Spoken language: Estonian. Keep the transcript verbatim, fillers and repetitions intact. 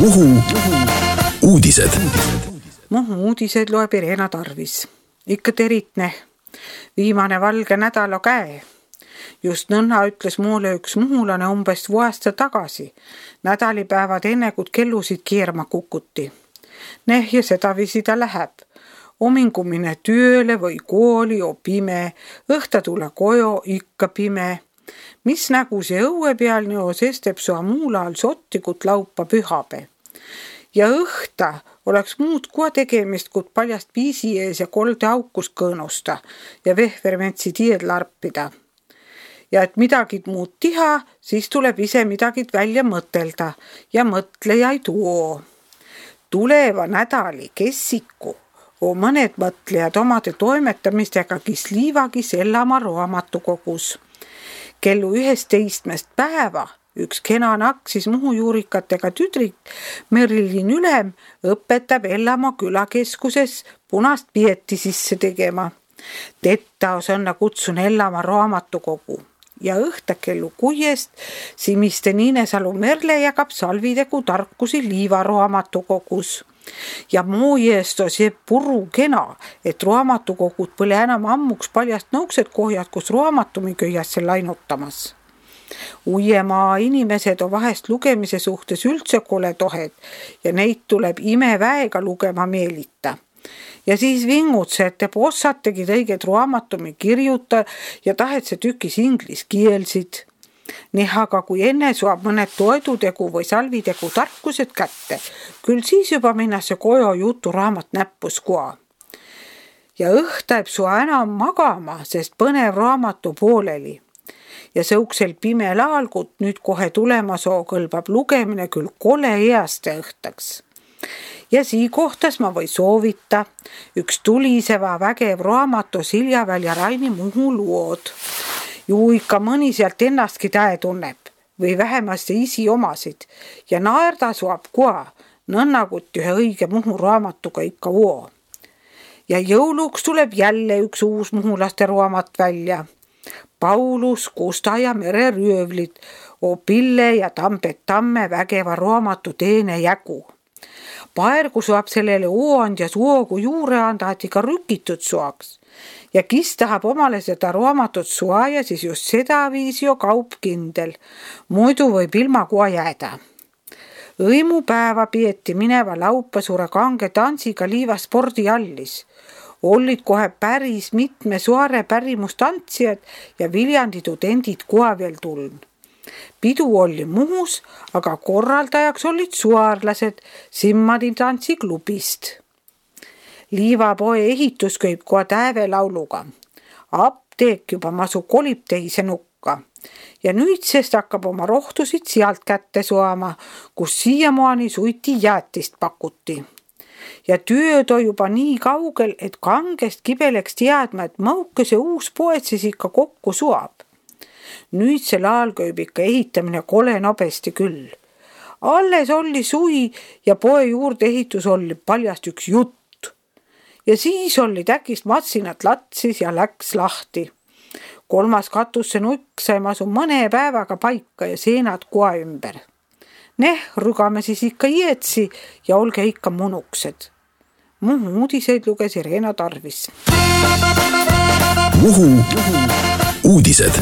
Muhu uudised. Muhu uudised loeb Irena Tarvis. Ikka teritne. Viimane valge nädala käe. Just nõnna ütles mulle üks muhulane umbes vuasta tagasi. Nädalipäevad enne, kui kellusid keerma kukuti. Neh ja sedavisi ta läheb. Omingumine tööle või kooli o pime, õhta tule kojo ikka pime. Mis nägu see õue peal neo sesteb sua muulal sottikut laupa pühape. Ja õhta oleks muud kua tegemist, kui paljast piisi ees ja kolde aukus kõõnusta ja vehvermentsi tied larpida. Ja et midagi muud tiha, siis tuleb ise midagi välja mõtelda ja mõtleja ei tuo. Tuleva nädali kessiku o mõned mõtlejad omade toimetamistega kis liivagis Ellama raamatukogus. Kellu ühesteistmest päeva üks kena naksis Muhu juurikatega tüdrik Merilin Ülem õpetab Ellama külakeskuses punast pieti sisse tegema. Tetta osanna kutsun Ellama raamatukogu ja õhta kellu kuiest Simiste Niinesalu Merle jagab salvidegu tarkusi Liiva raamatukogus. Ja moojeest on see puru kena, et raamatukogud põle enam ammuks paljast nõuksed kohjad, kus raamatumi köiasse lainutamas. Uiemaa inimesed on vahest lugemise suhtes üldse kole tohed ja neid tuleb imeväega lugema meelita. Ja siis vingutse, et te ossategi õiget raamatumi kirjuta ja tahet see tükis inglis kielsid. Nii aga kui enne suab mõned toedutegu või salvidegu tarkused kätte, küll siis juba minnase kojo jutu raamat näppus kua. Ja õhta jääb sua enam magama, sest põnev raamatu pooleli. Ja sõuksel pimel algut nüüd kohe tulema soo kõlbab lugemine küll kole easte õhtaks. Ja sii kohtas ma või soovita üks tuliseva vägev raamatu Siljaväl ja Raini Muhu lood. Ju ikka mõni sealt ennastki tähe tunneb või vähemasti isi omasid ja naerda suab kua nõnnagut ühe õige Muhu raamatuga ikka voo. Ja jõuluks tuleb jälle üks uus muhulaste raamat välja. Paulus, Kusta ja Mere röövlid, o Pille ja Tambet Tamme vägeva raamatu teene jägu. Paergu suab sellele ooandja suogu juure anda, et ikka rükitud suaks. Ja kis tahab omale seda raamatut suaja, siis just seda viisi jo kaup kindel. Muidu võib ilma kua jääda. Õimupäeva pieti mineva laupa suure kange tansiga Liiva spordiallis. Ollid kohe päris mitme suare pärimustantsijad ja Viljandi tudendid koha veel tuln. Pidu oli Muhus, aga korraldajaks olid suarlased Simmadi tantsiklubist. Liiva poe ehitus köib koha täve lauluga. Apteek juba masu kolib teise nukka. Ja nüüdsest hakkab oma rohtusid sealt kätte suama, kus siiamaani suiti jäätist pakuti. Ja tööd on juba nii kaugel, et kangest kibeleks teadma, et mõuke see uus poed siis ikka kokku suab. Nüüd see laal köib ikka ehitamine kole nobesti küll. Alles oli suvi ja poe juurde ehitus oli paljast üks jutt. Ja siis oli täkist matsinat latsis ja läks lahti. Kolmas katusse nukk sai masu mõne päevaga paika ja seenad koa ümber. Neh, rügame siis ikka ietsi ja olge ikka munuksed. Muhu uudiseid luges Irena Tarvis. Muhu uudised.